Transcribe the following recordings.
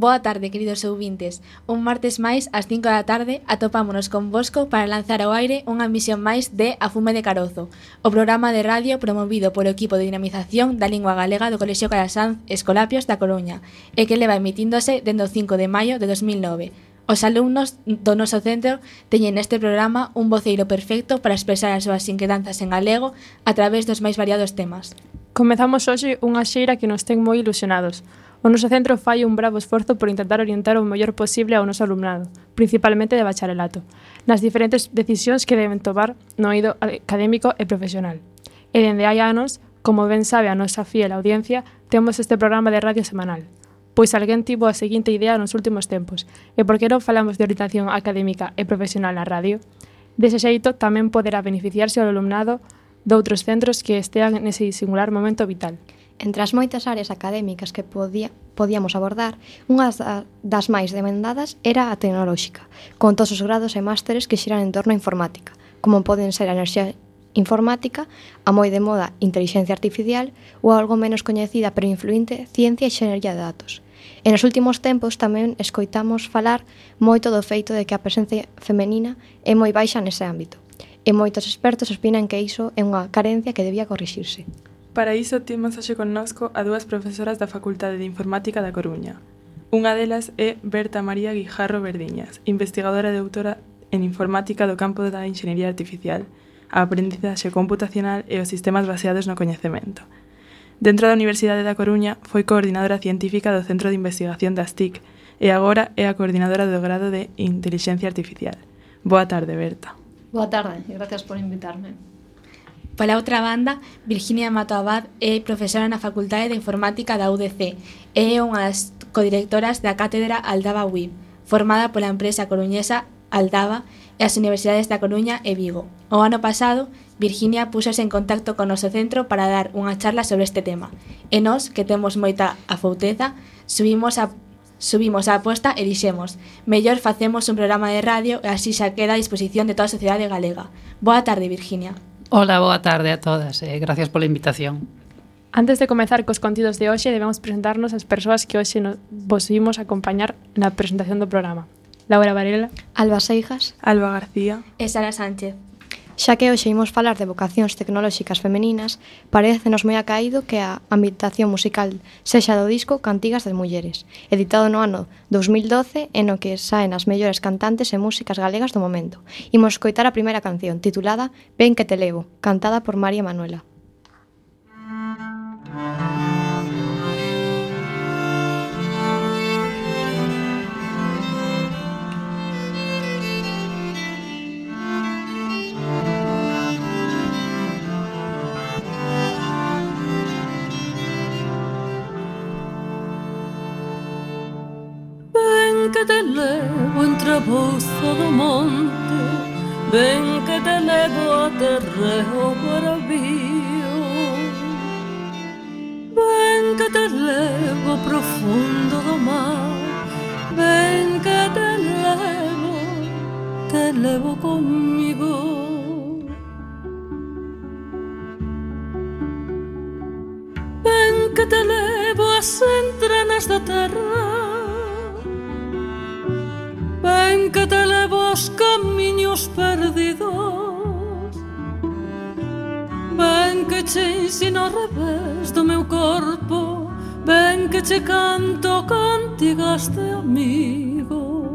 Boa tarde, queridos ouvintes. Un martes máis, ás 5 da tarde, atopámonos convosco para lanzar ao aire unha emisión máis de A Fume de Carozo, o programa de radio promovido polo equipo de dinamización da lingua galega do Colexio Calasanz Escolapios da Coruña e que leva emitíndose dende o 5 de maio de 2009. Os alumnos do noso centro teñen neste programa un voceiro perfecto para expresar as súas inquedanzas en galego a través dos máis variados temas. Comezamos hoxe unha xeira que nos ten moi ilusionados. O noso centro fai un bravo esforzo por intentar orientar o mellor posible ao noso alumnado, principalmente de bacharelato, nas diferentes decisións que deben tomar no eido académico e profesional. E dende hai anos, como ben sabe a nosa fiel audiencia, temos este programa de radio semanal. Pois alguén tivo a seguinte idea nos últimos tempos, e por que non falamos de orientación académica e profesional na radio? Dese xeito tamén poderá beneficiarse o alumnado doutros centros que estean nese singular momento vital. Entre as moitas áreas académicas que podíamos abordar, unha das máis demandadas era a tecnolóxica, con todos os grados e másteres que xiran en torno á informática, como poden ser a enerxía informática, a moi de moda inteligencia artificial ou algo menos coñecida pero influinte, ciencia e xenería de datos. E nos últimos tempos tamén escoitamos falar moito do feito de que a presencia femenina é moi baixa nese ámbito, e moitos expertos opinan que iso é unha carencia que debía corrixirse. Para iso temos hoxe connosco a dúas profesoras da Facultade de Informática da Coruña. Unha delas é Berta María Guijarro Verdiñas, investigadora e doutora en Informática do campo da Enxeñería Artificial, a aprendizaxe computacional e os sistemas baseados no coñecemento. Dentro da Universidade da Coruña foi coordinadora científica do Centro de Investigación das TIC e agora é a coordinadora do grado de Intelixencia Artificial. Boa tarde, Berta. Boa tarde e gracias por invitarme. Pola outra banda, Virginia Mato Abad é profesora na Facultade de Informática da UDC e é unha das codirectoras da Cátedra Aldaba WIB, formada pola empresa coruñesa Aldaba e as universidades da Coruña e Vigo. O ano pasado, Virginia púxose en contacto con o noso centro para dar unha charla sobre este tema. E nós, que temos moita afouteza, subimos a aposta e dixemos: mellor facemos un programa de radio e así xa queda a disposición de toda a sociedade galega. Boa tarde, Virginia. Hola, boa tarde a todas e gracias pola invitación. Antes de comezar cos contidos de hoxe, debemos presentarnos as persoas que hoxe vos vimos acompañar na presentación do programa. Laura Varela, Alba Seijas, Alba García E Sara Sánchez. xa que hoxe imos falar de vocacións tecnolóxicas femeninas, parécenos moi acaído que a ambientación musical sexa do disco Cantigas de Mulleres, editado no ano 2012 e no que saen as mellores cantantes e músicas galegas do momento. Imos coitar a primeira canción, titulada Ven que te levo, cantada por María Manuela. Que te levo entre a bolsa do monte, ven que te levo a terreo para vío, ven que te levo ao profundo do mar, ven que te levo comigo. Ven que te levo ás entranas da terra, ven que te levo aos camiños perdidos, ven que che ensino ao revés do meu corpo, ven que che canto cantigas de amigo.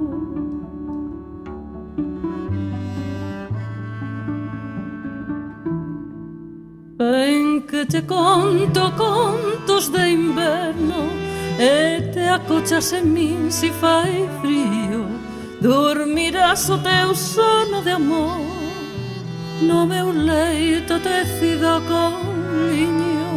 Ven que te conto contos de inverno e te acochas en min si fai frío. Dormirás o teu sono de amor no meu leito tecido con liño.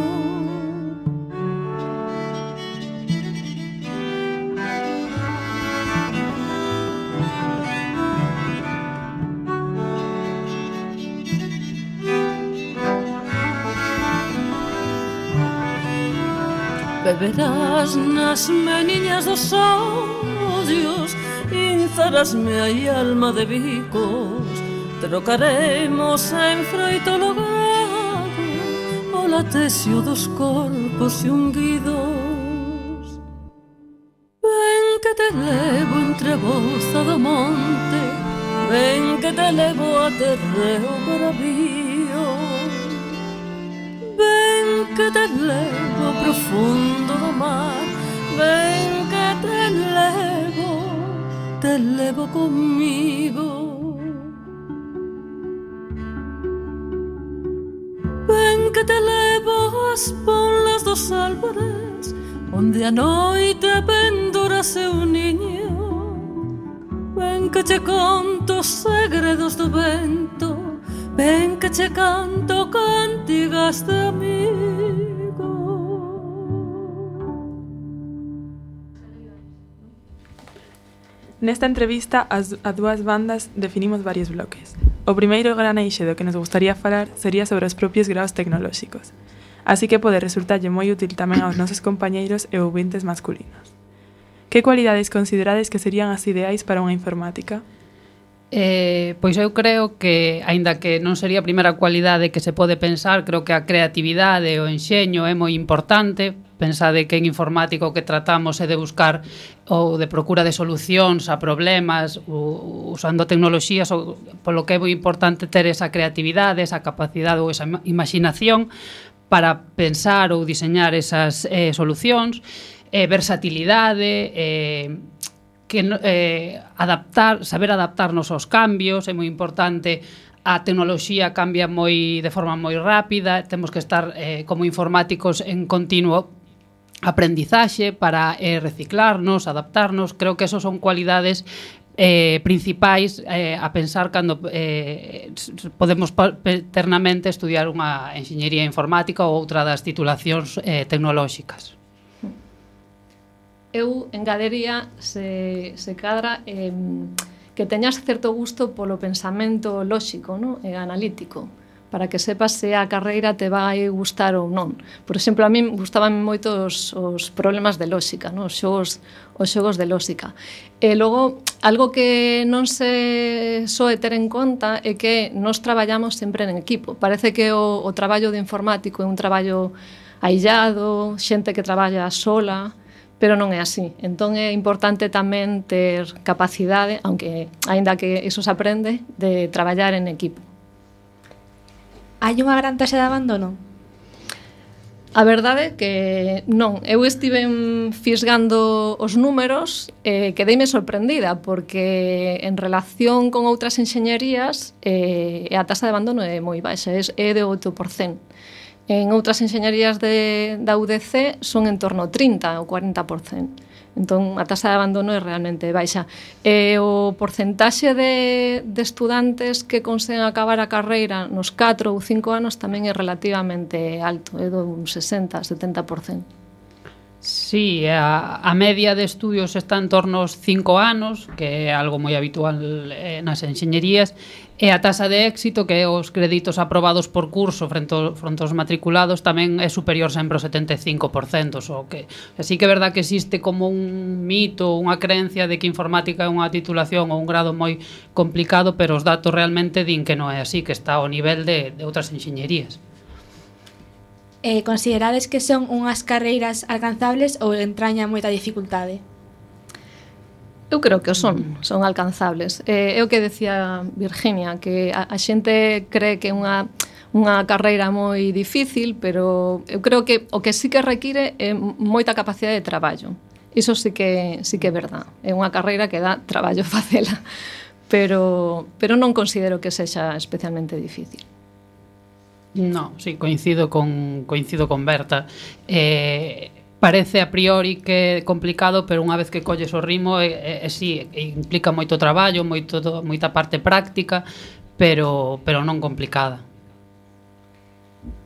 Beberás nas meniñas dos ollos, inzarasme aí alma de bicos, trocaremos en froito logado o latexio dos corpos unguidos. Ven que te levo entre a bolsa do monte, ven que te levo a terreo bravío, ven que te levo ao profundo do mar, ven que te levo comigo. Ven que te levo ás ponlas dos álvares, onde a noite pendura seu niño. Ven que che conto os segredos do vento, ven que che canto cantigas de amigo. Nesta entrevista, a dúas bandas definimos varios bloques. O primeiro gran eixe do que nos gustaría falar sería sobre os propios graos tecnolóxicos. Así que pode resultarlle moi útil tamén aos nosos compañeiros e ouvintes masculinos. Que cualidades considerades que serían as ideais para unha informática? Pois eu creo que, aínda que non sería a primeira cualidade que se pode pensar, creo que a creatividade e o enxeño é moi importante. Pensade que en informática o que tratamos é de buscar ou de procura de solucións a problemas usando tecnoloxías, polo que é moi importante ter esa creatividade, esa capacidade ou esa imaginación para pensar ou diseñar esas solucións, versatilidade, saber adaptarnos aos cambios, é moi importante. A tecnoloxía cambia de forma moi rápida, temos que estar como informáticos en continuo aprendizaxe para reciclarnos, adaptarnos. Creo que esos son cualidades principais a pensar cando podemos eternamente estudiar unha enxeñería informática ou outra das titulacións tecnolóxicas. Eu engadería, se cadra, que teñas certo gusto polo pensamento lóxico, no? E analítico, para que sepas se a carreira te vai gustar ou non. Por exemplo, a mí gustaban moito os problemas de lóxica, no? Os xogos de lóxica. E logo, algo que non se soe ter en conta é que nós traballamos sempre en equipo. Parece que o traballo de informático é un traballo aillado, xente que traballa sola, pero non é así. Entón é importante tamén ter capacidade, aunque aínda que iso se aprende, de traballar en equipo. Hai unha gran taxa de abandono? A verdade é que non. Eu estive fisgando os números e quedeime sorprendida, porque en relación con outras enxeñerías a taxa de abandono é moi baixa, é de 8%. En outras enxeñerías da UDC son en torno ao 30 ou 40%. Entón, a taxa de abandono é realmente baixa. E o porcentaxe de estudantes que conseguen acabar a carreira nos 4 ou 5 anos tamén é relativamente alto, é dun 60-70%. Sí, a media de estudios está en torno aos 5 anos, que é algo moi habitual nas enxeñerías, e a taxa de éxito, que é os créditos aprobados por curso fronte aos matriculados, tamén é superior sempre ao 75%, so que así que é verdad que existe como un mito, unha creencia de que informática é unha titulación ou un grado moi complicado, pero os datos realmente din que non é así, que está ao nivel de outras enxeñerías. Considerades que son unhas carreiras alcanzables ou entraña moita dificultade? Eu creo que son alcanzables. É o que decía Virginia, que a xente cree que é unha carreira moi difícil, pero eu creo que o que sí que require é moita capacidade de traballo. Iso sí que é verdad. É unha carreira que dá traballo facela, pero non considero que sexa especialmente difícil. No, sí, coincido con Berta. Parece a priori que é complicado, pero unha vez que colles o ritmo, sí, implica moito traballo, moita parte práctica, pero non complicada.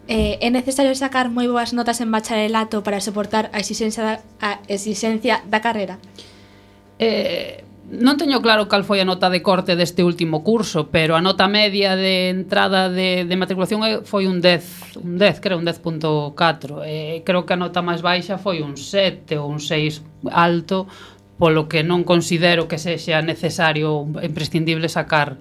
É necesario sacar moi boas notas en bacharelato para soportar a exigencia da carreira? Non teño claro cal foi a nota de corte deste último curso, pero a nota media de entrada de matriculación foi un 10, creo, un 10.4. Creo que a nota máis baixa foi un 7 ou un 6 alto, polo que non considero que sexa necesario, imprescindible sacar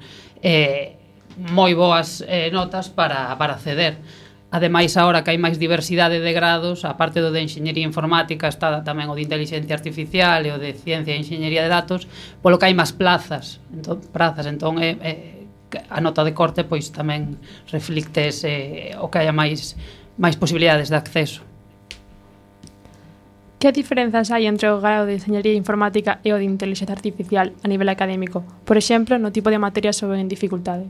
moi boas notas para acceder. Ademais, agora que hai máis diversidade de grados, a parte do de enxeñería informática está tamén o de inteligencia artificial e o de ciencia e enxeñería de datos, polo que hai máis plazas. Entón, a nota de corte pois tamén reflicte o que haya máis posibilidades de acceso. Que diferenzas hai entre o grado de enxeñería informática e o de inteligencia artificial a nivel académico? Por exemplo, no tipo de materias ou en dificultade?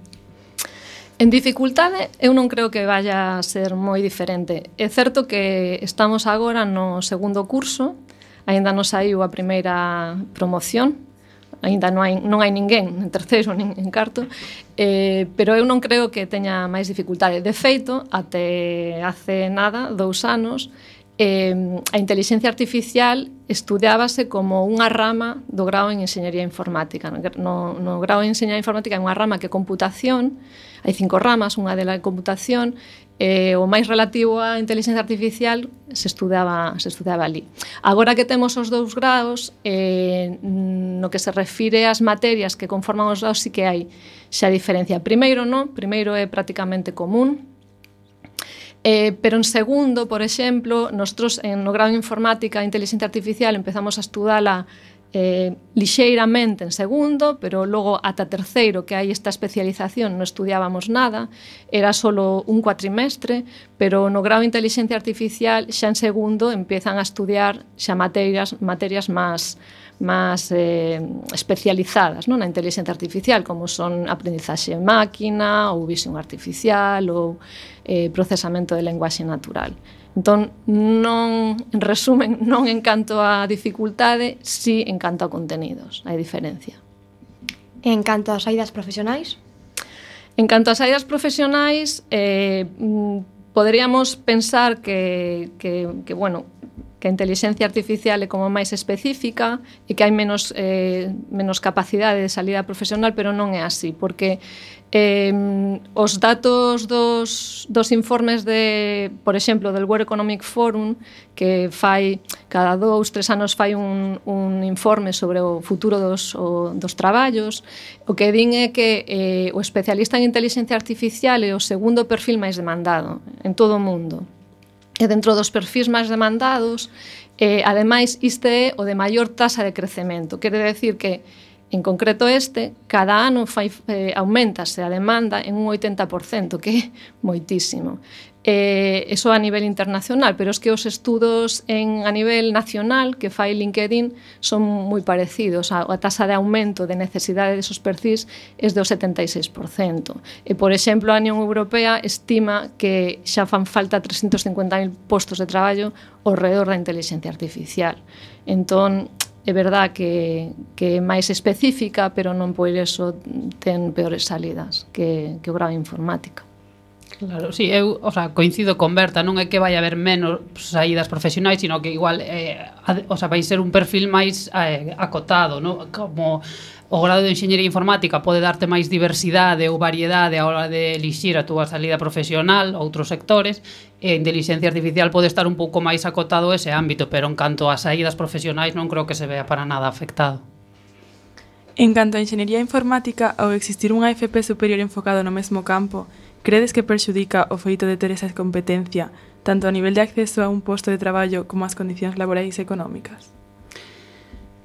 En dificultade, eu non creo que vaya a ser moi diferente. É certo que estamos agora no segundo curso, aínda non saiu a primeira promoción, aínda non hai ninguén en terceiro nin en cuarto, pero eu non creo que teña máis dificultade. De feito, até hace nada, 2 anos, a inteligencia artificial estudiábase como unha rama do grao en enxeñería informática. No grao en enxeñería informática é unha rama que é computación, hai 5 ramas, unha delas é computación, o máis relativo á inteligencia artificial se estudaba ali. Agora que temos os 2 graos, no que se refire ás materias que conforman os graos, sí que hai xa diferencia. Primeiro é prácticamente común, pero en segundo, por exemplo, nosotros no grado de informática e inteligencia artificial empezamos a estudala lixeiramente en segundo, pero logo ata terceiro, que hai esta especialización, non estudiábamos nada, era solo un cuatrimestre, pero no grau de inteligencia artificial xa en segundo empiezan a estudiar xa materias máis especializadas, non, na inteligencia artificial, como son aprendizaxe de máquina ou visión artificial ou procesamento de lenguaxe natural. Entón, non, en resumen, non en canto a dificultade, si en canto a contenidos, hai diferencia. En canto ás saídas profesionais? En canto ás saídas profesionais, poderíamos pensar que a inteligencia artificial é como máis específica e que hai menos capacidade de salida profesional, pero non é así, porque os datos dos informes por exemplo, del World Economic Forum, que fai cada 2-3 anos fai un informe sobre o futuro dos traballos, o que din é que o especialista en inteligencia artificial é o segundo perfil máis demandado en todo o mundo. E dentro dos perfis máis demandados, ademais, este é o de maior tasa de crecemento. Quere decir que, en concreto cada ano aumentase a demanda en un 80%, que é moitísimo. Eso a nivel internacional, pero es que os estudos a nivel nacional que fai LinkedIn son moi parecidos. A tasa de aumento de necesidade desos perfis é do 76%. E, por exemplo, a Unión Europea estima que xa fan falta 350.000 postos de traballo ao redor da inteligencia artificial. Entón, é verdad que é máis específica, pero non por eso ten peores salidas que o grau de informática. Claro, sí, eu coincido con Berta, non é que vai haber menos saídas profesionais, sino que igual vai ser un perfil máis acotado, non? Como o grado de enxeñería informática pode darte máis diversidade ou variedade a hora de elixir a túa salida profesional, outros sectores, e a inteligencia artificial pode estar un pouco máis acotado ese ámbito, pero en canto a saídas profesionais non creo que se vea para nada afectado. En canto a enxeñería informática, ao existir unha FP superior enfocado no mesmo campo, credes que perxudica o feito de ter esa competencia, tanto a nivel de acceso a un posto de traballo como as condicións laborais e económicas?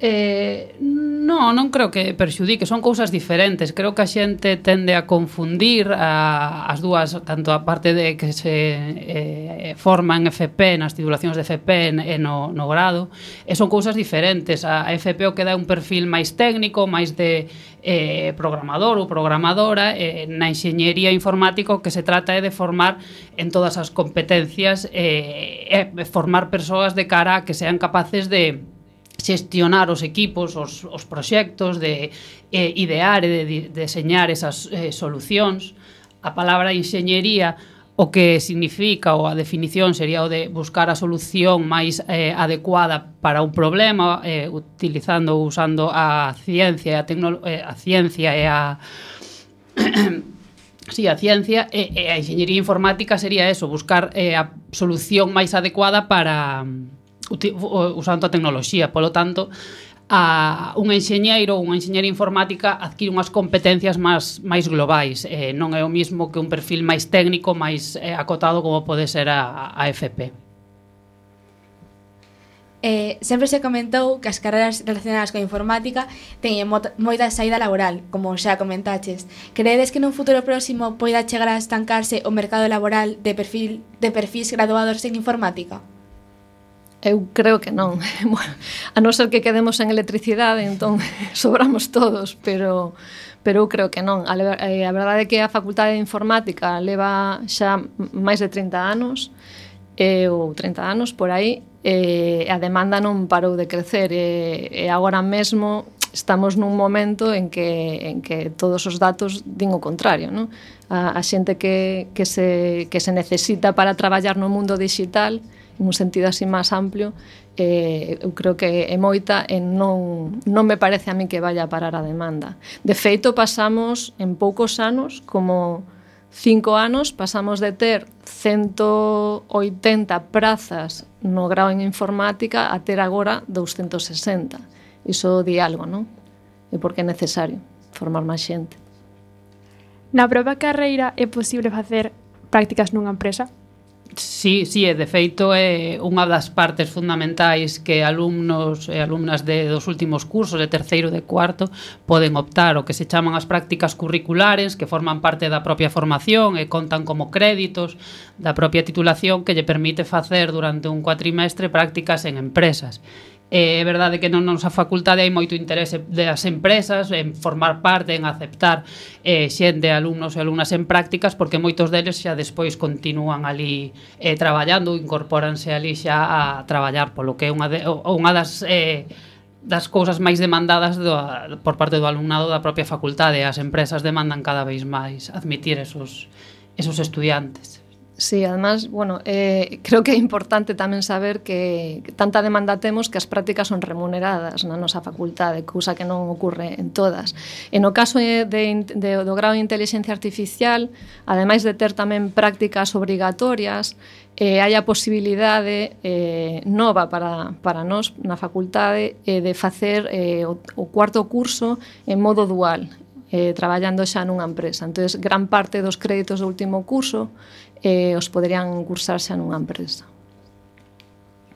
Non creo que perxudique, son cousas diferentes. Creo que a xente tende a confundir as dúas, tanto a parte de que se forma en FP, nas titulacións de FP e no grado, e son cousas diferentes. A FP o que dá un perfil máis técnico, máis de programador ou programadora, na enxeñería informática o que se trata é de formar en todas as competencias e formar persoas de cara a que sean capaces de xestionar os equipos, os proxectos, de idear e de deseñar esas solucións. A palabra enxeñería o que significa, ou a definición sería o de buscar a solución máis adecuada para un problema, usando a ciencia e a sí, a ciencia, e a enxeñería informática sería eso, buscar a solución máis adecuada para usando a tecnoloxía. Polo tanto, un enxeñeiro ou unha enxeñeira informática adquire unhas competencias máis globais. Non é o mismo que un perfil máis técnico, máis acotado como pode ser a FP. Sempre se comentou que as carreras relacionadas coa informática teñen moita saída laboral, como xa comentaches. Credes que nun futuro próximo poida chegar a estancarse o mercado laboral de perfis graduados en informática? Eu creo que non. Bueno, a non ser que quedemos en electricidade, entón sobramos todos, pero eu creo que non. A verdade é que a Facultade de Informática leva xa máis de 30 anos, ou 30 anos por aí, e a demanda non parou de crecer, e agora mesmo estamos nun momento en que todos os datos din o contrario, non? A xente que se necesita para traballar no mundo digital, en un sentido así máis amplio, eu creo que é moita e non me parece a mí que vaya a parar a demanda. De feito, pasamos en poucos anos, como 5 anos, pasamos de ter 180 prazas no grao en informática a ter agora 260. Iso di algo, non? E porque é necesario formar máis xente. Na propia carreira é posible facer prácticas nunha empresa? Sí, e de feito é unha das partes fundamentais que alumnos e alumnas dos últimos cursos, de terceiro e de cuarto, poden optar o que se chaman as prácticas curriculares, que forman parte da propia formación e contan como créditos da propia titulación que lle permite facer durante un cuatrimestre prácticas en empresas. É verdade que non nosa facultade hai moito interese das empresas en formar parte, en aceptar xente, alumnos e alumnas en prácticas, porque moitos deles xa despois continúan ali traballando, incorpóranse ali xa a traballar, polo que é unha das cousas máis demandadas por parte do alumnado da propia facultade. As empresas demandan cada vez máis admitir esos estudiantes. Sí, además, bueno, creo que é importante tamén saber que tanta demanda temos que as prácticas son remuneradas na nosa facultade, cousa que non ocorre en todas. E no caso do grado de Inteligencia Artificial, ademais de ter tamén prácticas obrigatorias, hai a posibilidade nova para nós na facultade de facer o cuarto curso en modo dual, traballando xa nunha empresa. Entón, gran parte dos créditos do último curso os poderían cursar xa nunha empresa.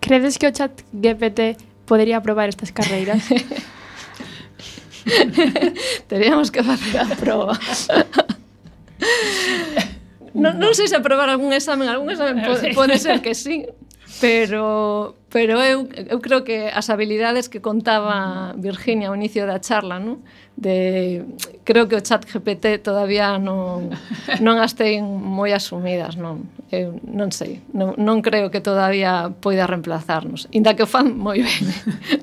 Credes que o chat GPT podería aprobar estas carreiras? Teríamos que facer a proba. Non sei se aprobar algún examen pode ser que sí, pero eu creo que as habilidades que contaba Virginia ao inicio da charla, non? Creo que o chat GPT todavía non as ten moi asumidas, non? Eu non sei, non creo que todavía poida reemplazarnos, inda que o fan moi ben.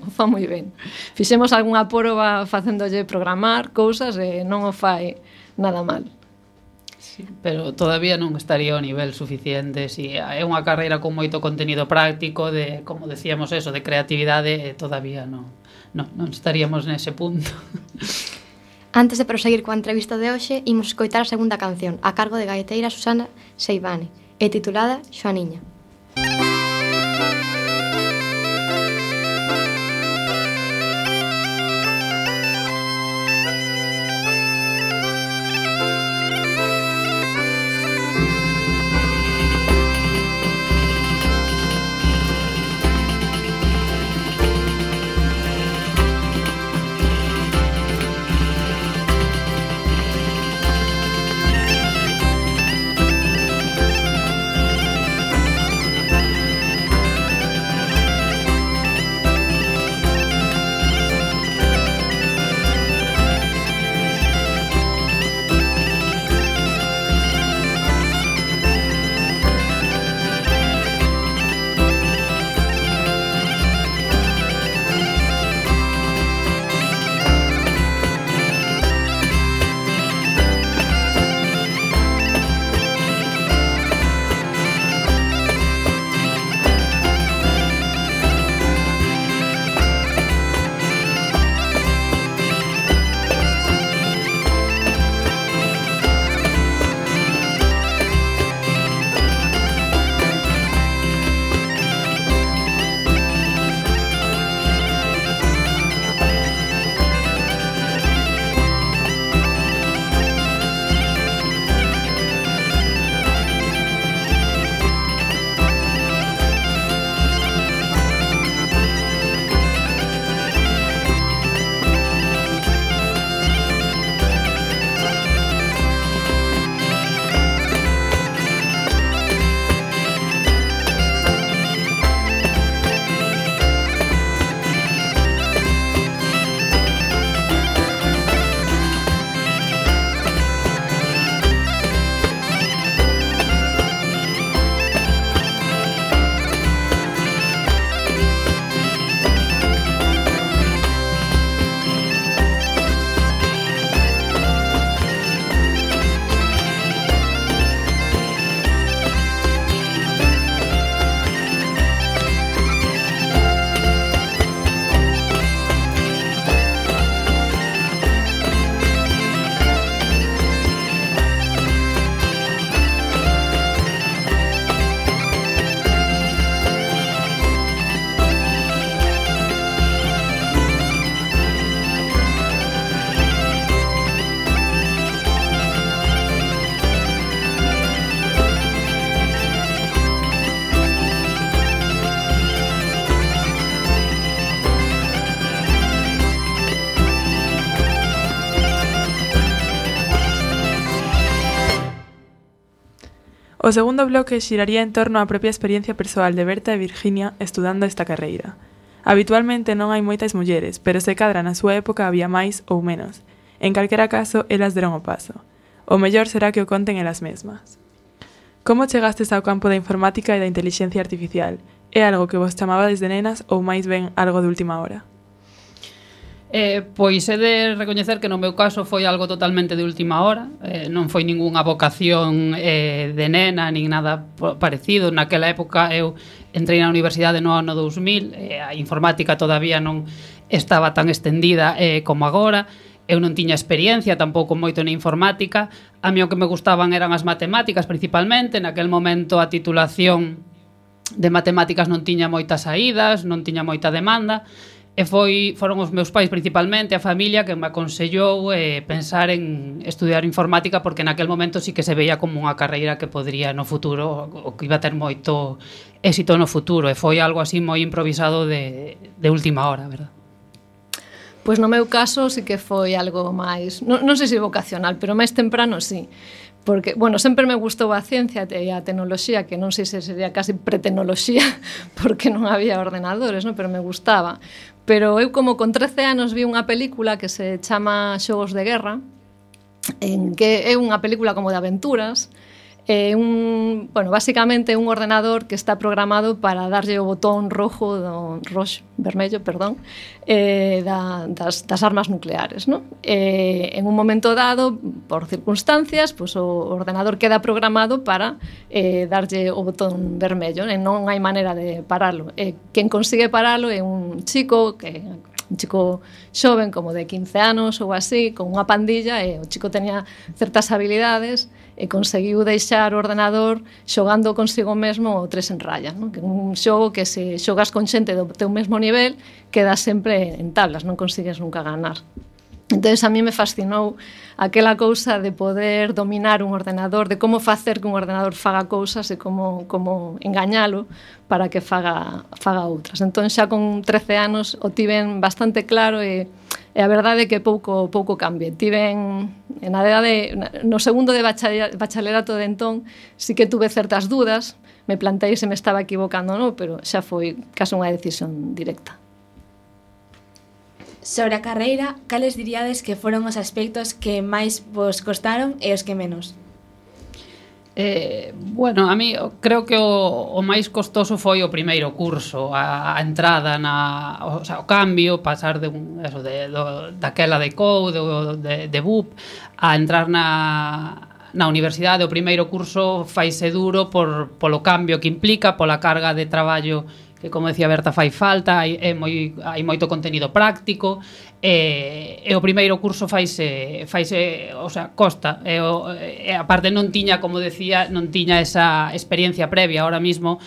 O fan moi ben. Fixemos algunha proba facéndolle programar cousas e non o fai nada mal. Sí, pero todavía non estaría ao nivel suficiente. Si é unha carreira con moito contenido práctico, de, como decíamos eso, de creatividade, todavía non estaríamos nese punto. Antes de proseguir coa entrevista de hoxe, imos escoitar a segunda canción, a cargo de gaiteira Susana Seivane, e titulada Xoaniña. O segundo bloque xiraría en torno á propia experiencia persoal de Berta e Virginia estudando esta carreira. Habitualmente non hai moitas mulleres, pero se cadra na súa época había máis ou menos. En calquera caso, elas deron o paso. O mellor será que o conten elas mesmas. Como chegastes ao campo da informática e da intelixencia artificial? É algo que vos chamaba desde nenas ou máis ben algo de última hora? Pois he de recoñecer que no meu caso foi algo totalmente de última hora, non foi ningunha vocación de nena, nin nada parecido. Naquela época eu entrei na universidade no ano 2000, a informática todavía non estaba tan extendida como agora, eu non tiña experiencia tampouco moito na informática, a mí o que me gustaban eran as matemáticas principalmente, naquel momento a titulación de matemáticas non tiña moitas saídas, non tiña moita demanda, e foron os meus pais principalmente, a familia, que me aconsellou pensar en estudiar informática, porque naquel momento sí que se veía como unha carreira que podría no futuro, o que iba a ter moito éxito no futuro, e foi algo así moi improvisado de última hora, verdad? Pois no meu caso sí que foi algo máis, non sei se vocacional, pero máis temprano sí. Porque, bueno, sempre me gustou a ciencia e a tecnoloxía, que non sei se sería casi pretecnoloxía, porque non había ordenadores, non? Pero me gustaba. Pero eu, como con 13 anos, vi unha película que se chama Xogos de Guerra, en que é unha película como de aventuras, basicamente un ordenador que está programado para darlle o botón vermello, das armas nucleares, ¿no? En un momento dado, por circunstancias, pues, o ordenador queda programado para darlle o botón vermello, e non hai maneira de paralo. Quen consigue paralo é un chico xoven, como de 15 anos ou así, con unha pandilla, e o chico tenía certas habilidades e conseguiu deixar o ordenador xogando consigo mesmo o 3 en raya, non? Que é un xogo que se xogas con xente do teu mesmo nivel quedas sempre en tablas, non consigues nunca ganar. Entón, a mí me fascinou aquela cousa de poder dominar un ordenador, de como facer que un ordenador faga cousas e como engañalo para que faga outras. Entón, xa con 13 anos o tiven bastante claro e a verdade é que pouco cambié. No segundo de bacharelato de entón, sí que tuve certas dudas, me plantei se me estaba equivocando ou non, pero xa foi case unha decisión directa. Sobre a carreira, cales diríades que foron os aspectos que máis vos costaron e os que menos? Bueno, a mí creo que o máis costoso foi o primeiro curso, a entrada o cambio, pasar daquela de Code ou de BUP a entrar na universidade. O primeiro curso faise duro polo cambio que implica, pola carga de traballo que, como decía Berta, fai falta, hai moito contenido práctico, e o primeiro curso faise, o sea, costa, e a parte non tiña, como decía, non tiña esa experiencia previa. Ahora mismo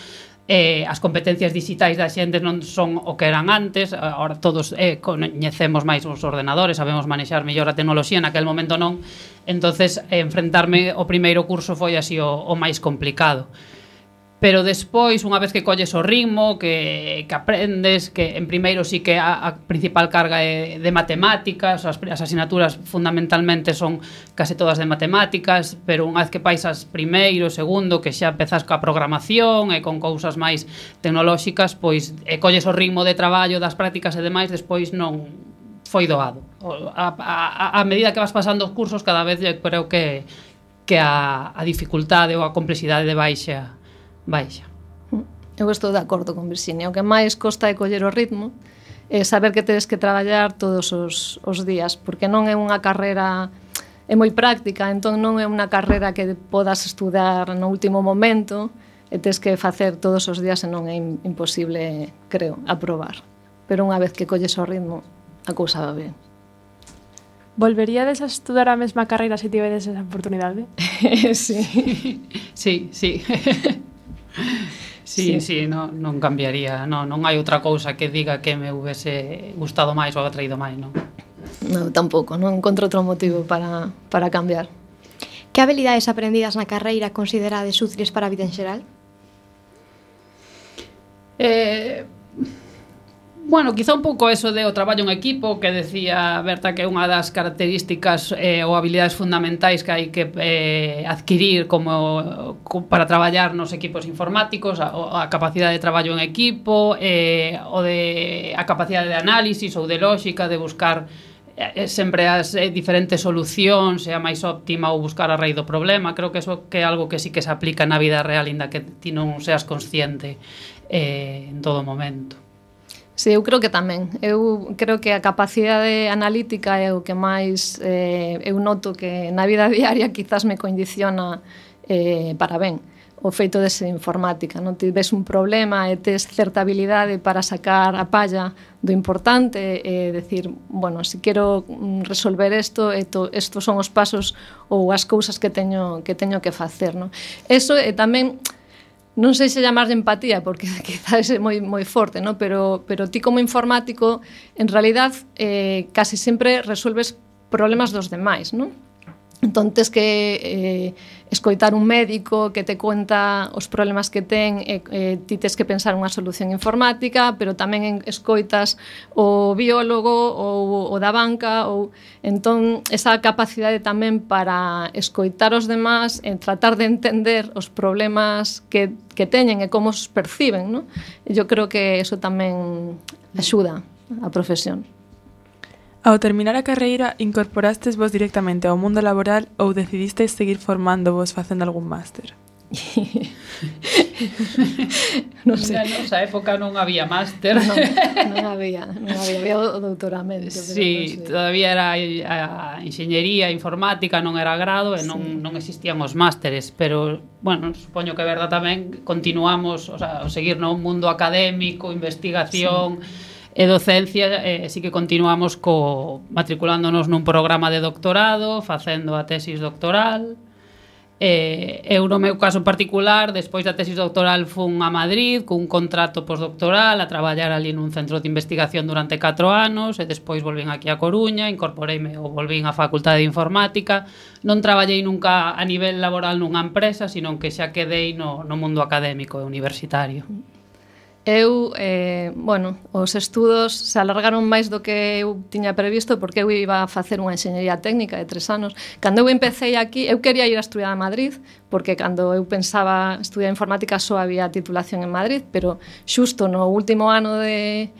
as competencias digitais da xente non son o que eran antes, ahora todos coñecemos máis os ordenadores, sabemos manexar mellor a tecnoloxía, naquel momento non, entonces enfrentarme ao primeiro curso foi así o máis complicado. Pero despois, unha vez que colles o ritmo, que aprendes, que en primeiro sí que a principal carga é de matemáticas, as asignaturas fundamentalmente son case todas de matemáticas, pero unha vez que paisas primeiro, segundo, que xa empezas coa programación e con cousas máis tecnolóxicas, pois colles o ritmo de traballo das prácticas e demais, despois non foi doado. A medida que vas pasando os cursos, cada vez creo que a dificultade ou a complexidade de baixa. Eu estou de acordo con Virxinia. O que máis costa é coller o ritmo, é saber que tedes que traballar todos os días, porque non é unha carreira, é moi práctica, entón non é unha carreira que podas estudar no último momento, e tes que facer todos os días, e non é imposible, creo, aprobar. Pero unha vez que colles o ritmo, a cousa va ben. Volveríades a estudar a mesma carreira se tivedes esa oportunidade? Sí. Sí. Sí, non cambiaría, non hai outra cousa que diga que me houvese gustado máis ou atraído máis, non? Non, tampouco, non encontro outro motivo para cambiar. Que habilidades aprendidas na carreira considerades útiles para a vida en xeral? Bueno, quizá un pouco eso de o traballo en equipo que decía Berta que é unha das características ou habilidades fundamentais que hai que adquirir como para traballar nos equipos informáticos, a capacidade de traballo en equipo, a capacidade de análisis ou de lógica, de buscar sempre as diferentes solucións, e a máis óptima ou buscar a raíz do problema. Creo que eso que é algo que sí que se aplica na vida real, inda que ti non seas consciente en todo momento. Sí, eu creo que tamén. Eu creo que a capacidade analítica é o que máis eu noto que na vida diaria quizás me condiciona para ben. O feito de ser informática, non? Ti ves un problema e tes certa habilidade para sacar a palla do importante e decir, bueno, se quero resolver isto, estos son os pasos ou as cousas que teño que facer, non? Eso é tamén, non sei se chamar de empatía, porque quizás é moi forte, ¿no? Pero ti como informático, en realidad, casi sempre resolves problemas dos demais, ¿no? Entón, tes que escoitar un médico que te conta os problemas que ten, ti tes que pensar unha solución informática, pero tamén escoitas o biólogo ou o da banca, ou entón esa capacidade tamén para escoitar os demás e tratar de entender os problemas que teñen e como os perciben, ¿no? Eu creo que eso tamén axuda a profesión. Ao terminar a carreira, incorporastes vos directamente ao mundo laboral ou decidistes seguir formándovos facendo algún máster? Non sei. Na nosa época non había máster. Non había o doutoramento. Sí, todavía era a enxeñería informática, non era grado e non existían os másteres, pero, bueno, supoño que é verdad tamén, continuamos, o sea, seguir no mundo académico, investigación... E docencia, sí que continuamos matriculándonos nun programa de doctorado, facendo a tesis doctoral. Eu, no meu caso en particular, despois da tesis doctoral fun a Madrid cun contrato postdoctoral a traballar ali nun centro de investigación durante 4 anos e despois volvín aquí a Coruña, incorporeime ou volvín á Facultade de Informática. Non traballei nunca a nivel laboral nunha empresa, sino que xa quedei no mundo académico e universitario. Eu, os estudos se alargaron máis do que eu tiña previsto porque eu iba a facer unha enxeñería técnica de 3 anos. Cando eu empecé aquí, eu quería ir a estudiar a Madrid, porque cando eu pensaba estudiar informática só había titulación en Madrid, pero xusto no último ano de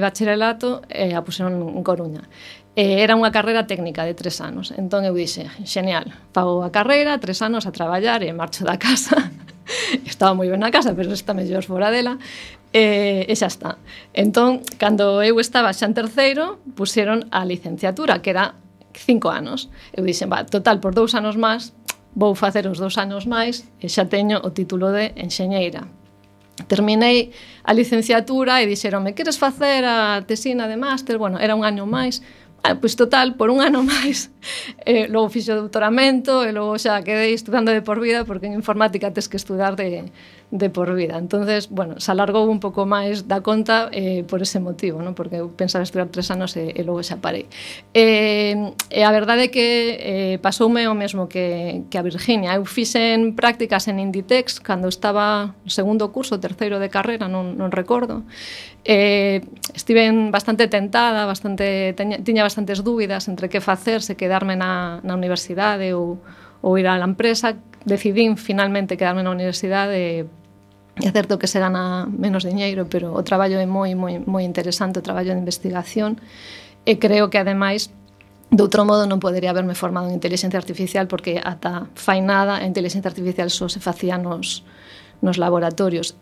bacharelato a puseron en Coruña. Era unha carreira técnica de 3 anos. Entón eu dixe, genial, pago a carreira, 3 anos a traballar e marcho da casa. Estaba moi ben na casa, pero está mellor fora dela. E xa está. Entón, cando eu estaba xa en terceiro, puseron a licenciatura, que era 5 anos. Eu dixen, total, por 2 anos máis, vou facer os 2 anos máis e xa teño o título de enxeñeira. Terminei a licenciatura e dixeronme, queres facer a tesina de máster? Bueno, era un año máis. Pois total, por un ano máis, logo fixo doutoramento e logo xa quedei estudando de por vida, porque en informática tes que estudar de por vida. Entonces, bueno, se alargou un pouco máis da conta por ese motivo, ¿no? Porque eu pensaba estudar 3 anos e logo xa parei. E a verdade é que pasoume o mesmo que a Virginia. Eu fixen prácticas en Inditex cando estaba no segundo curso, terceiro de carreira, non recordo. Estive bastante tentada, tiña bastantes dúbidas entre que facer, se quedarme na universidade ou ir á empresa. Decidín finalmente quedarme na universidade. É certo que se gana menos diñeiro, pero o traballo é moi interesante, o traballo de investigación, e creo que ademais de outro modo non podería haberme formado en inteligencia artificial, porque ata fai nada a inteligencia artificial só se facía nos laboratorios.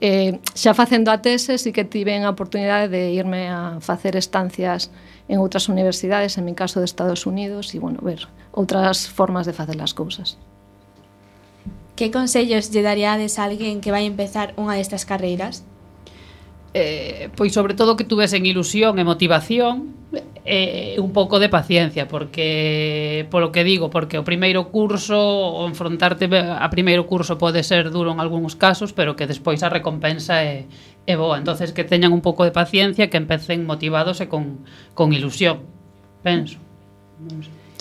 Xa facendo a tese, sí que tiven a oportunidade de irme a facer estancias en outras universidades, en mi caso de Estados Unidos, e, bueno, ver outras formas de facer as cousas. Que consellos lle daríades a alguén que vai empezar unha destas carreiras? Pois sobre todo que tuvesen ilusión e motivación e un pouco de paciencia, porque polo que digo, porque o primeiro curso, o enfrontarte a primeiro curso pode ser duro en algúns casos, pero que despois a recompensa é boa. Entonces que teñan un pouco de paciencia, que empecen motivados e con ilusión, penso.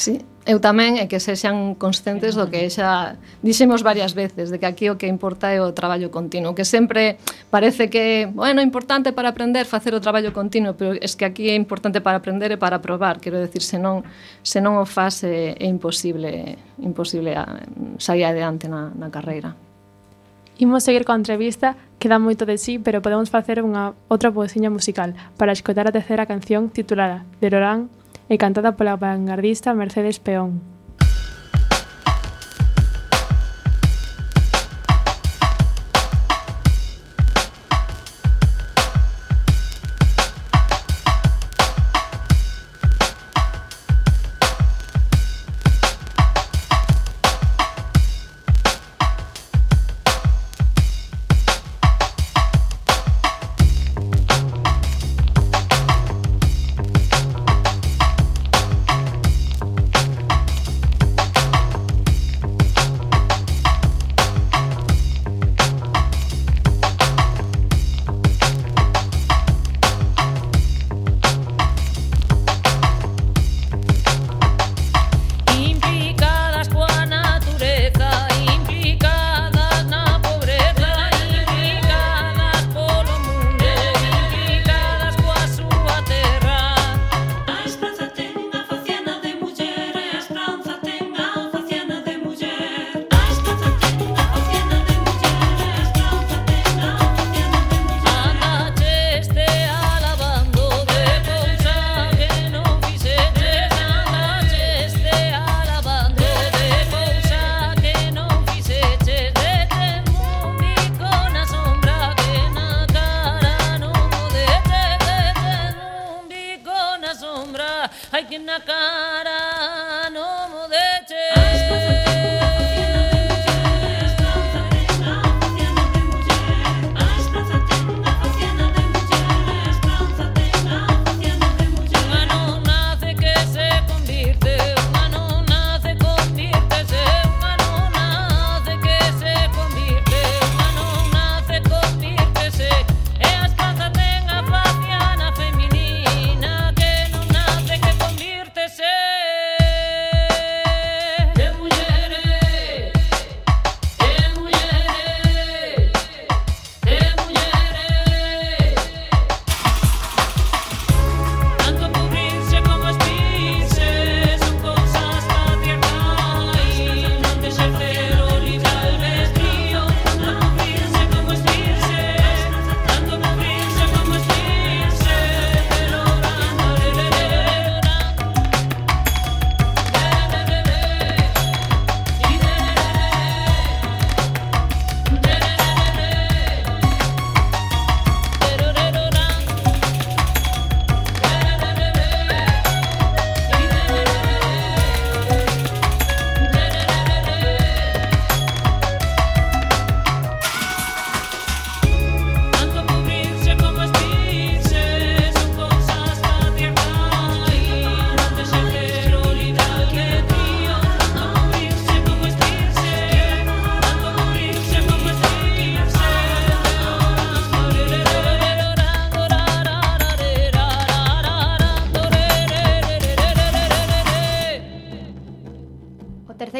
Sí, eu tamén é que sexan conscientes do que xa dixemos varias veces, de que aquí o que importa é o traballo continuo, que sempre parece que, bueno, é importante para aprender facer o traballo continuo, pero es que aquí é importante para aprender e para probar, quero decir, se non o faz é imposible sair adiante na carreira. Imos seguir coa entrevista, queda moito de sí, pero podemos facer unha outra pousiña musical para escoitar a terceira canción titulada De Lorán e cantada pola vanguardista Mercedes Peón.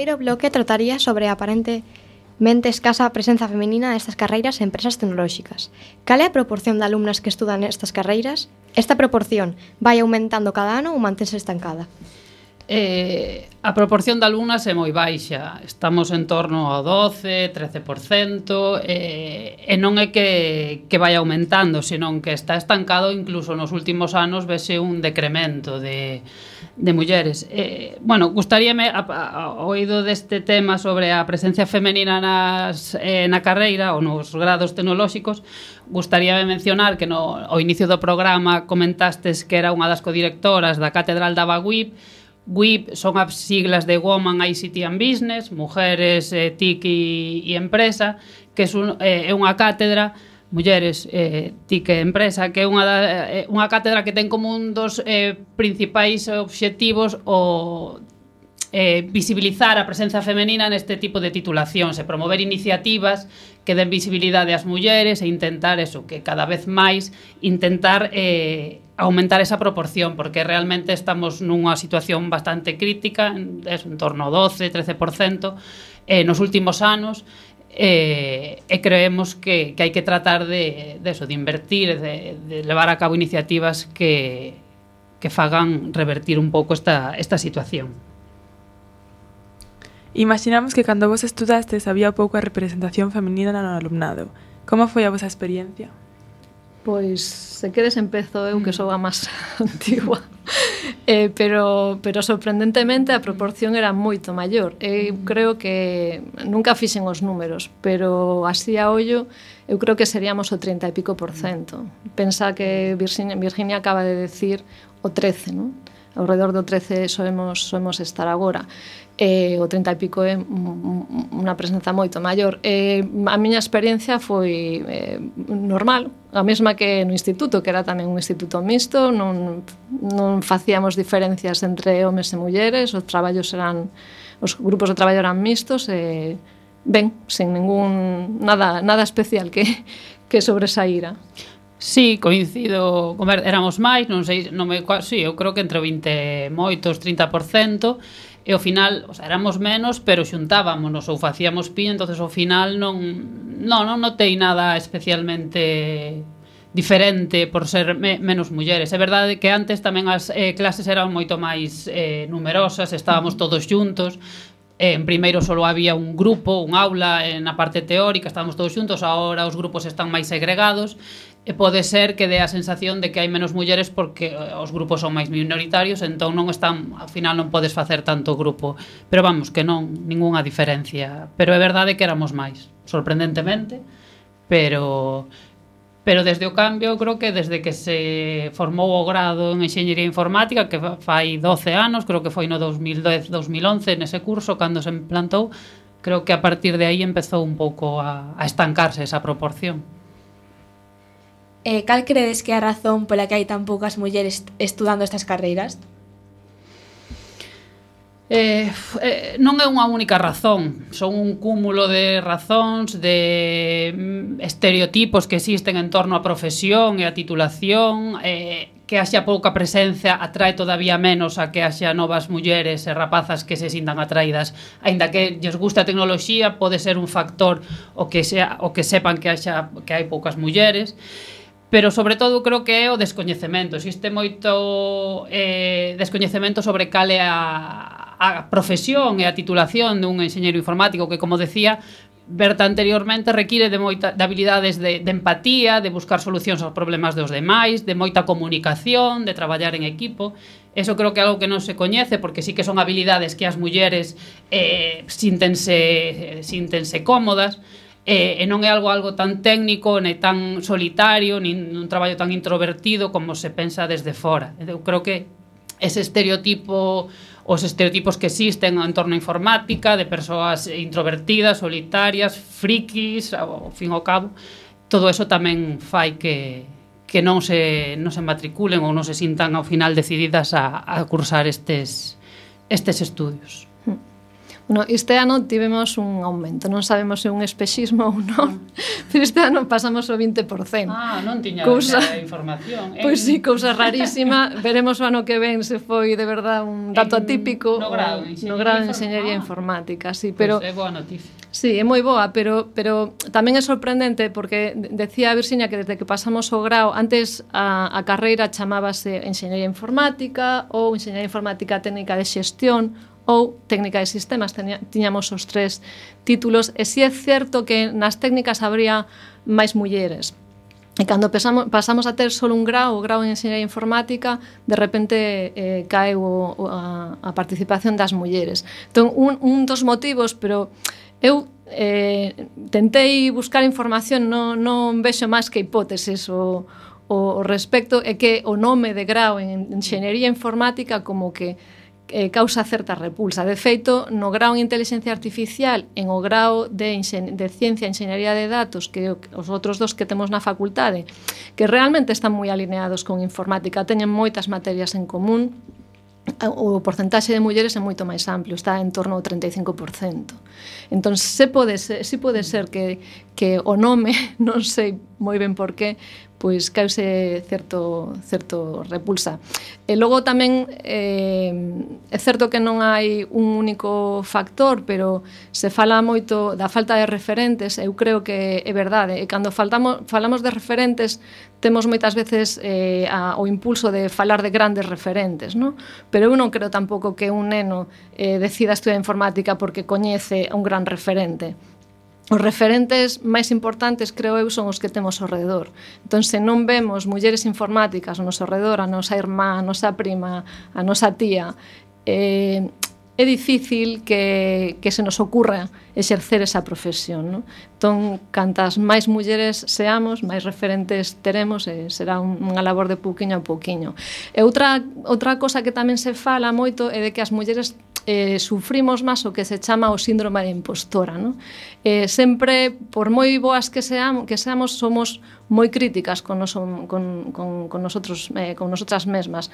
terceiro bloque trataría sobre a aparentemente escasa presenza feminina nestas carreiras e empresas tecnolóxicas. Cal é a proporción de alumnas que estudan nestas carreiras? Esta proporción vai aumentando cada ano ou mantense estancada? A proporción de alumnas é moi baixa. Estamos en torno ao 12, 13%, e non é que vai aumentando, senón que está estancado. Incluso nos últimos anos vese un decremento de mulleres. Bueno, gustaríame, oído deste tema sobre a presencia femenina na carreira ou nos grados tecnolóxicos, gustaríame mencionar que ao inicio do programa comentastes que era unha das codirectoras da Catedral da WIP. WIP son as siglas de Women, ICT and Business, Mujeres, TIC e Empresa, que é unha cátedra, Mulleres, TIC e Empresa, que é unha cátedra que ten como un dos principais obxectivos o visibilizar a presenza femenina neste tipo de titulacións e promover iniciativas que den visibilidade ás mulleres e intentar eso, que cada vez máis intentar aumentar esa proporción, porque realmente estamos nunha situación bastante crítica, en torno ao 12-13% nos últimos anos, e creemos que hai que tratar de invertir, de levar a cabo iniciativas que fagan revertir un pouco esta situación. Imaginamos que cando vos estudastes había pouca representación feminina no alumnado. Como foi a vosa experiencia? Pois, se queres empezo eu, que sou a máis antigua. Pero sorprendentemente a proporción era moito maior. Creo que nunca fixen os números, pero así a ollo eu creo que seríamos o 30 e pico %. Pensa que Virginia acaba de decir o 13, non? Ao redor do 13 soemos estar agora. O 30 e pico é unha presenza moito maior. A miña experiencia foi normal, a mesma que no instituto, que era tamén un instituto mixto, non facíamos diferencias entre homes e mulleres, os grupos de traballo eran mixtos, ben, sen nada especial que sobresaíra. Sí, coincido, éramos máis, non sei, sí, eu creo que entre 20 moitos, 30%, e ao final, éramos menos, pero xuntábamos ou facíamos pi, entonces ao final non notei nada especialmente diferente por ser menos mulleres. É verdade que antes tamén as clases eran moito máis numerosas, estábamos todos xuntos. En primeiro só había un grupo, un aula na parte teórica, estábamos todos xuntos, agora os grupos están máis segregados, e pode ser que dé a sensación de que hai menos mulleres porque os grupos son máis minoritarios, entón ao final non podes facer tanto grupo, pero vamos, que non, ningunha diferencia, pero é verdade que éramos máis, sorprendentemente, pero desde o cambio, creo que desde que se formou o grado en Enxeñería Informática, que fai 12 anos, creo que foi no 2010-2011 nese curso, cando se implantou, creo que a partir de aí empezou un pouco a estancarse esa proporción. Cal credes que é a razón pola que hai tan poucas mulleres estudando estas carreiras? Non é unha única razón, son un cúmulo de razóns, de estereotipos que existen en torno á profesión e á titulación, que haxa pouca presencia atrae todavía menos a que haxa novas mulleres e rapazas que se sintan atraídas, aínda que lles gusta a tecnoloxía, pode ser un factor o que sepan que hai poucas mulleres. Pero, sobre todo, creo que é o descoñecemento. Existe moito descoñecemento sobre cal é a profesión e a titulación dun enxeñeiro informático que, como decía Berta anteriormente, require de habilidades de empatía, de buscar solucións aos problemas dos demais, de moita comunicación, de traballar en equipo. Eso creo que é algo que non se coñece, porque sí que son habilidades que as mulleres síntense cómodas, e non é algo tan técnico, nem tan solitario, nin un traballo tan introvertido como se pensa desde fora. Eu creo que os estereotipos que existen en torno á informática, de persoas introvertidas, solitarias, frikis, ao fin e ao cabo, todo eso tamén fai que non se matriculen ou non se sintan ao final decididas a cursar estes estudios. No, este ano tivemos un aumento, non sabemos se é un espexismo ou non, pero este ano pasamos o 20%. Non tiña información. Pois sí, cousa rarísima. Veremos o ano que ven se foi de verdad un dato atípico no grado de Enxeñería Informática, sí, pero é boa noticia. Sí, é moi boa, pero tamén é sorprendente porque decía Virginia que desde que pasamos o grao, antes a carreira chamábase Enxeñería Informática ou Enxeñería Informática Técnica de Xestión ou técnica de sistemas, tiñamos os 3 títulos, e si é certo que nas técnicas habría máis mulleres. E cando pasamos a ter só un grao, o grao en Enxeñería Informática, de repente caeu a participación das mulleres. Entón, un dos motivos, pero eu tentei buscar información, non vexo máis que hipóteses o respecto, é que o nome de grao en Enxeñería Informática como que causa certa repulsa. De feito, no grao en Inteligencia Artificial, en o grao de Ciencia e Enxeñería de Datos, que os outros dos que temos na facultade, que realmente están moi alineados con informática, teñen moitas materias en común, o porcentaxe de mulleres é moito máis amplio, está en torno ao 35%. Entón, si pode ser que o nome, non sei moi ben por qué, pois cause certo repulsa. E logo tamén é certo que non hai un único factor, pero se fala moito da falta de referentes. Eu creo que é verdade, e cando falamos de referentes temos moitas veces o impulso de falar de grandes referentes, non? Pero eu non creo tampouco que un neno decida estudiar informática porque coñece un gran referente. Os referentes máis importantes, creo eu, son os que temos ao redor. Entón, se non vemos mulleres informáticas ao noso redor, a nosa irmá, a nosa prima, a nosa tía, é difícil que se nos ocurra exercer esa profesión, non? Entón, cantas máis mulleres seamos, máis referentes teremos, e será unha labor de pouquiño a pouquiño. E outra cosa que tamén se fala moito é de que as mulleres sufrimos máis o que se chama o síndrome de impostora, non? Sempre, por moi boas que seamos, somos moi críticas con nosotras mesmas.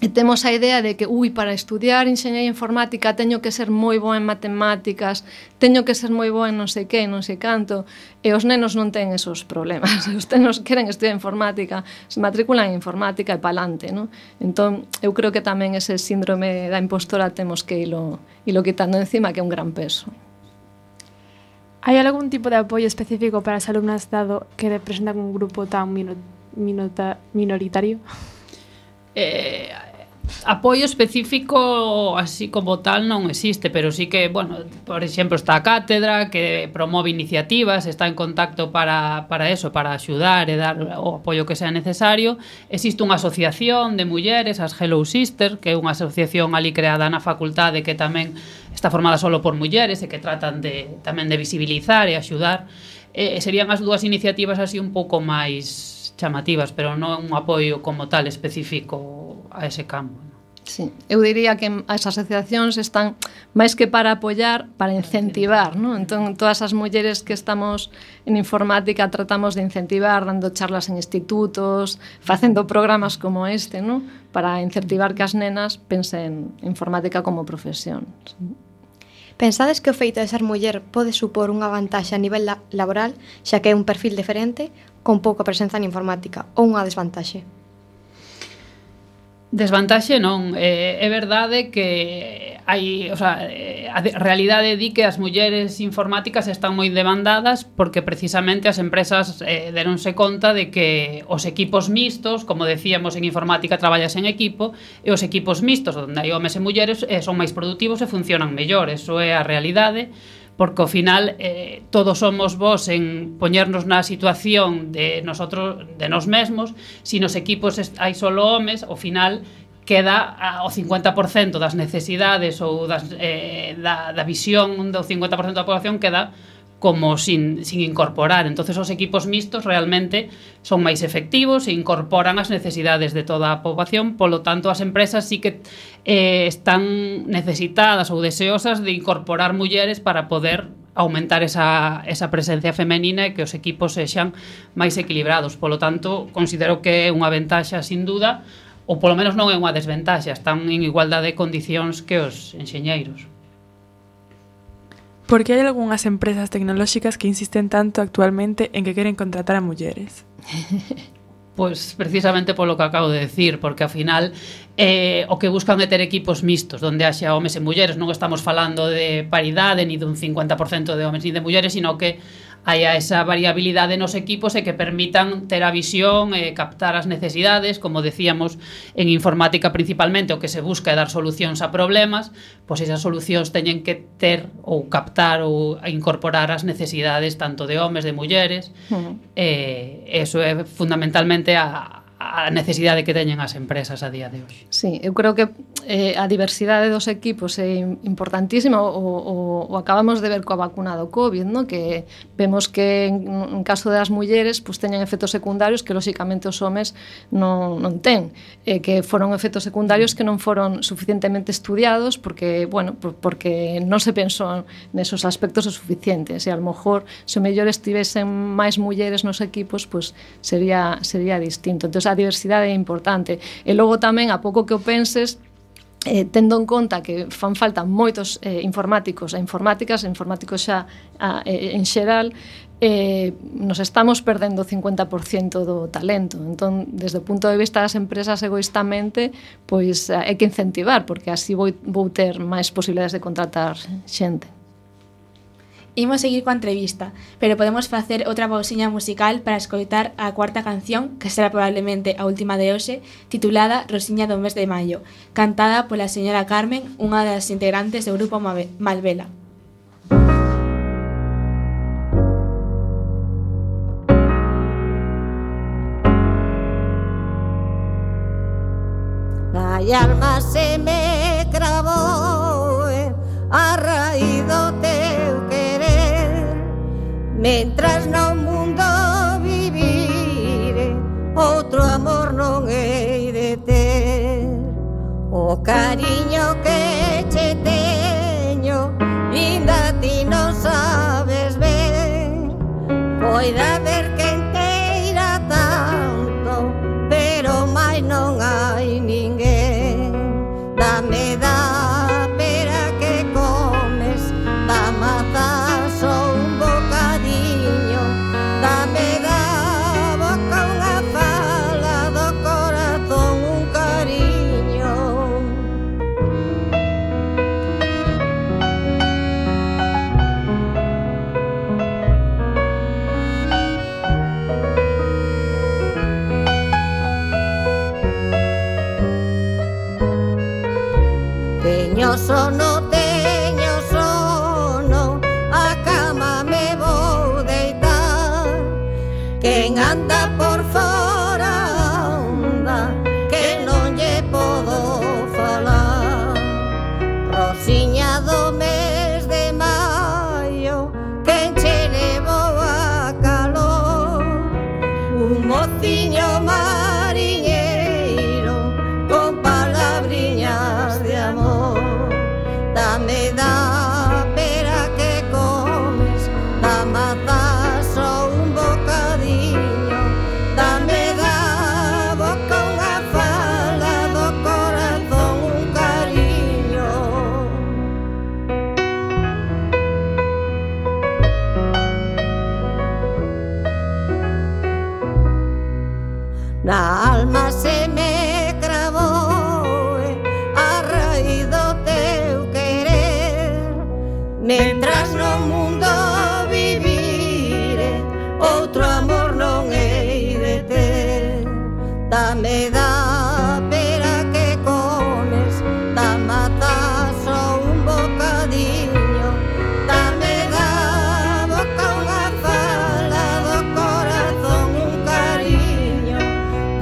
Temos a idea de que, para estudiar enxeñería informática teño que ser moi boa en matemáticas, teño que ser moi boa en non sei que, non sei canto, e os nenos non ten esos problemas. Os nenos queren estudiar informática, se matriculan en informática e palante, non? Entón, eu creo que tamén ese síndrome da impostora temos que ilo quitando encima, que é un gran peso. Hai algún tipo de apoio específico para as alumnas dado que representan un grupo tan minoritario? Apoio específico así como tal non existe, pero sí que, bueno, por exemplo, está a cátedra que promove iniciativas, está en contacto para eso, para axudar e dar o apoio que sea necesario. Existe unha asociación de mulleres, as Hello Sisters, que é unha asociación ali creada na facultade que tamén está formada solo por mulleres e que tratan tamén de visibilizar e axudar. Serían as dúas iniciativas así un pouco máis chamativas, pero non un apoio como tal específico a ese campo. Sí, eu diría que as asociacións están máis que para apoiar, para incentivar, non? Entón, todas as mulleres que estamos en informática tratamos de incentivar, dando charlas en institutos, facendo programas como este, non? Para incentivar que as nenas pensen en informática como profesión. Pensades que o feito de ser muller pode supor unha vantaxe a nivel laboral, xa que é un perfil diferente, con pouca presenza en informática, ou unha desvantaxe? Desvantaxe non, é verdade que hai, a realidade di que as mulleres informáticas están moi demandadas porque precisamente as empresas deronse conta de que os equipos mixtos, como decíamos en informática traballas en equipo, e os equipos mixtos onde hai homes e mulleres son máis produtivos e funcionan mellor, eso é a realidade, porque ao final todos somos vos en poñernos na situación de nós mesmos. Si nos equipos hai solo homes, ao final queda o 50% das necesidades ou da visión do 50% da población queda como sin incorporar. Entonces os equipos mixtos realmente son máis efectivos e incorporan as necesidades de toda a poboación, polo tanto as empresas sí que están necesitadas ou deseosas de incorporar mulleres para poder aumentar esa presencia femenina e que os equipos sexan máis equilibrados. Polo tanto, considero que é unha ventaxa sin duda, ou polo menos non é unha desventaxa, están en igualdade de condicións que os enxeñeiros. Por que hai algunhas empresas tecnolóxicas que insisten tanto actualmente en que queren contratar a mulleres? Pois precisamente polo que acabo de decir, porque ao final o que buscan é ter equipos mixtos, onde haxa homes e mulleres. Non estamos falando de paridade, ni dun 50% de homes ni de mulleres, sino que haya esa variabilidade nos equipos e que permitan ter a visión e captar as necesidades. Como decíamos, en informática principalmente o que se busca é dar solucións a problemas, pois esas solucións teñen que ter ou captar ou incorporar as necesidades tanto de homes, de mulleres. Eso é fundamentalmente a necesidade que teñen as empresas a día de hoxe. Sí, eu creo que a diversidade dos equipos é importantísima. O acabamos de ver coa vacuna do COVID, ¿no? Que vemos que en caso das mulleres pues, teñen efectos secundarios que lóxicamente os homes non ten, que foron efectos secundarios que non foron suficientemente estudiados porque, bueno, porque non se pensou nesos aspectos o suficientes, e a lo mejor se o mellor estivesen máis mulleres nos equipos pues, sería distinto. Entón, a diversidade é importante. E logo tamén, a pouco que o penses, tendo en conta que fan falta moitos informáticos e informáticas, informáticos xa en xeral, nos estamos perdendo o 50% do talento. Entón, desde o punto de vista das empresas egoístamente, pois hai que incentivar, porque así vou ter máis posibilidades de contratar xente. Imos seguir coa entrevista, pero podemos facer outra pausiña musical para escoitar a cuarta canción, que será probablemente a última de hoxe, titulada Rosiña do mes de maio, cantada pola señora Carmen, unha das integrantes do grupo Malvela. A alma se me cravou a raíz do teu querer, mentras no mundo vivire, outro amor non hei de ter. O cariño que che teño, inda ti non sabes ben, poida ver que enteira tanto, pero máis non hai ninguén. Dame da pera que comes, da maza só un bocadiño, dame da boca unha fala, do corazón un cariño. Teño sono, a cama me vou deitar. Quen anda por fora anda, que non lle podo falar. Rosiña do mes de maio, quen che levou a calor. Un mociño mariñeiro con palabriñas de amor. Dame da pera que comes, da maza só un bocadiño, dame da boca unha fala, do corazón un cariño. Na alma se me cravou a raíz do teu querer, mentras no mundo vivire, outro amor non hei de ter. Dame da pera que comes, da maza só un bocadiño, dame da boca unha fala, do corazón un cariño.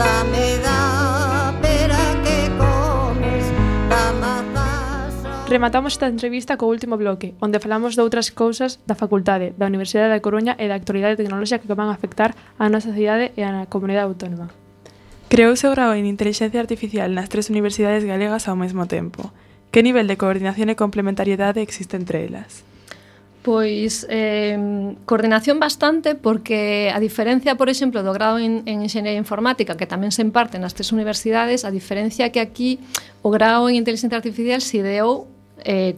Dame da pera que comes, da maza só. Rematamos esta entrevista co último bloque, onde falamos de outras cousas da facultade, da Universidade da Coruña e da actualidade tecnolóxica que van a afectar a nosa cidade e a comunidade autónoma. Creouse o grao en Inteligencia Artificial nas 3 universidades galegas ao mesmo tempo. Que nivel de coordinación e complementariedade existe entre elas? Pois coordinación bastante, porque a diferencia, por exemplo, do grado en Enxeñería Informática, que tamén se imparte nas 3 universidades, a diferencia que aquí o grado en Inteligencia Artificial se ideou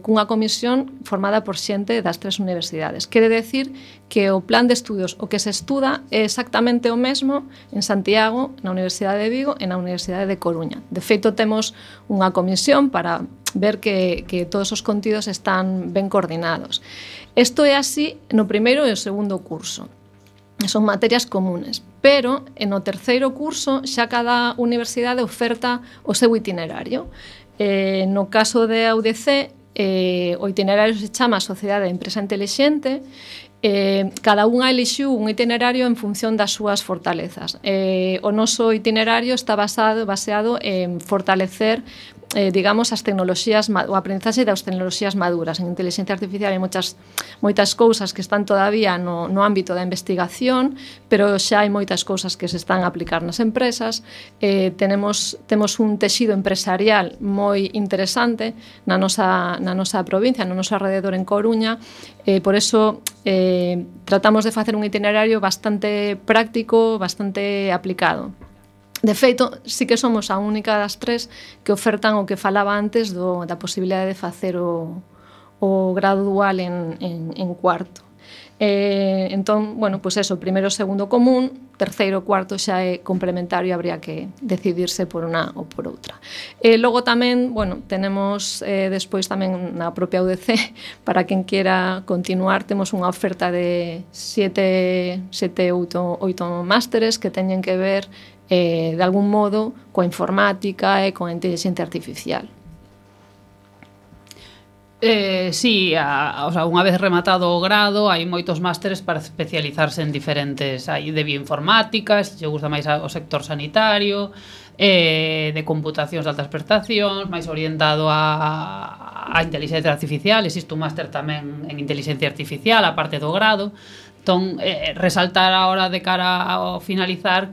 cunha comisión formada por xente das 3 universidades. Quere decir que o plan de estudios, o que se estuda, é exactamente o mesmo en Santiago, na Universidade de Vigo e na Universidade de Coruña. De feito, temos unha comisión para ver que todos os contidos están ben coordinados. Isto é así no primeiro e o segundo curso. Son materias comunes, pero no terceiro curso xa cada universidade oferta o seu itinerario. No caso de AUDC, o itinerario se chama Sociedade de Empresa Intelixente. Cada unha elixiu un itinerario en función das súas fortalezas. O noso itinerario está baseado en fortalecer digamos, as tecnoloxías, o aprendizaxe das tecnoloxías maduras. En inteligencia artificial hai moitas cousas que están todavía no ámbito da investigación, pero xa hai moitas cousas que se están a aplicar nas empresas. Temos un texido empresarial moi interesante na nosa provincia, no noso alrededor en Coruña, por eso tratamos de facer un itinerario bastante práctico, bastante aplicado. De feito, sí que somos a única das tres que ofertan o que falaba antes da posibilidade de facer o grado dual en cuarto. Entón, bueno, pois eso, primeiro e segundo común, terceiro e cuarto xa é complementario, habría que decidirse por unha ou por outra. Logo tamén, bueno, tenemos despois tamén na propia UDC, para quen quera continuar, temos unha oferta de 7, 8 másteres que teñen que ver de algún modo coa informática e coa inteligencia artificial. Sí, o sea, unha vez rematado o grado hai moitos másteres para especializarse en diferentes, hai de bioinformática, se gusta máis o sector sanitario, de computacións de altas prestacións, máis orientado a inteligencia artificial, existe un máster tamén en inteligencia artificial a parte do grado. Entón, resaltar ahora de cara ao finalizar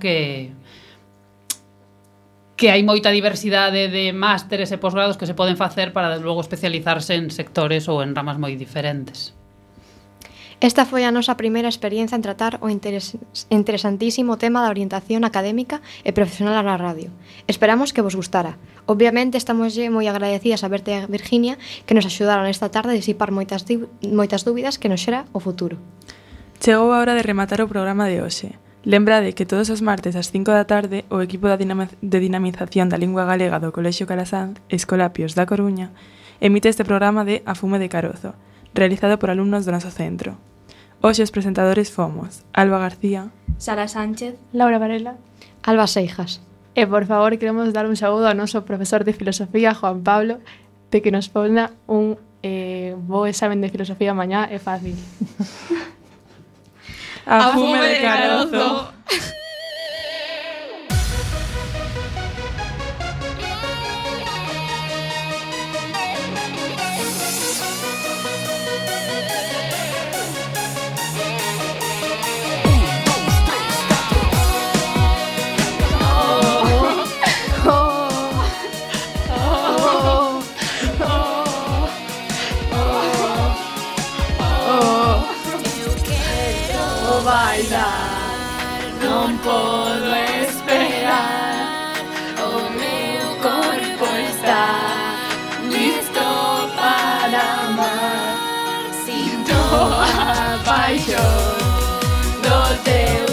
que hai moita diversidade de másteres e posgrados que se poden facer para logo especializarse en sectores ou en ramas moi diferentes. Esta foi a nosa primeira experiencia en tratar o interesantísimo tema da orientación académica e profesional na radio. Esperamos que vos gustara. Obviamente estamos moi agradecidas a Berta e a Virginia que nos axudaron esta tarde a disipar moitas dúbidas que nos xera o futuro. Chegou a hora de rematar o programa de hoxe. Lembrade que todos os martes ás 5 da tarde o equipo de dinamización da lingua galega do Colexio Calasanz, Escolapios da Coruña, emite este programa de A Fume de Carozo, realizado por alumnos do noso centro. Hoxe os presentadores fomos Alba García, Sara Sánchez, Laura Varela, Alba Seijas. E, por favor, queremos dar un saúdo ao noso profesor de filosofía, Juan Pablo, de que nos ponga un bo examen de filosofía mañá, é fácil. A Fume de Carozo. Bailar, non podo esperar. O meu corpo está listo para amar. Sinto a paixón do teu